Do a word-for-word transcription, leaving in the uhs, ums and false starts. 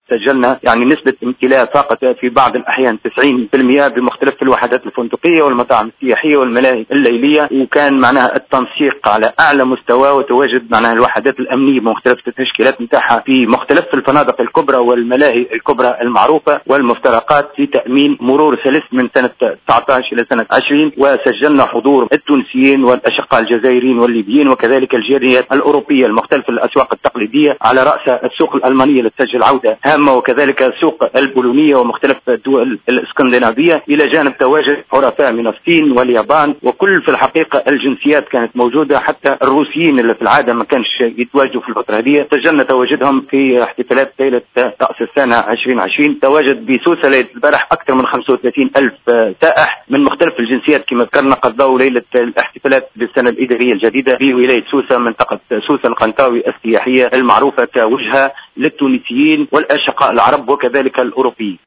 سجلنا يعني نسبة امتلاء فاقت في بعض الأحيان تسعين بالمئة بمختلف الوحدات الفندقية والمطاعم السياحية والملاهي الليلية، وكان معناها التنسيق على أعلى مستوى، وتواجد معناها الوحدات الأمنية بمختلف التشكيلات نتاعها في مختلف الفنادق الكبرى والملاهي الكبرى المعروفة والمفترقات في تأمين مرور سلس من سنة تسعة عشر إلى سنة عشرين. وسجلنا حضور التونسيين والأشقاء الجزائريين والليبيين وكذلك الجاليات الأوروبية المختلفة، الأسواق التقليدية على رأس السوق الألمانية اللي تسجل عودة هامة، وكذلك السوق البولونية ومختلف الدول الاسكندنافية، إلى جانب تواجد حرفاء من الصين واليابان، وكل في الحقيقة الجنسيات كانت موجودة، حتى الروسيين اللي في العادة ما كانش يتواجدوا في الفترة هذه سجلنا تواجدهم في احتفالات ليلة رأس السنة ألفين وعشرين. تواجد بسوسة ليلة البارح أكثر من خمسة وثلاثين ألف سائح من مختلف الجنسيات كما ذكرنا، قضوا ليلة الاحتفالات بالسنة الإدارية الجديدة في ولاية سوسة، منطقة سوسة القنطاوي السياحية المعروفة كوجهة للتونسيين والأشقاء العرب وكذلك الأوروبيين.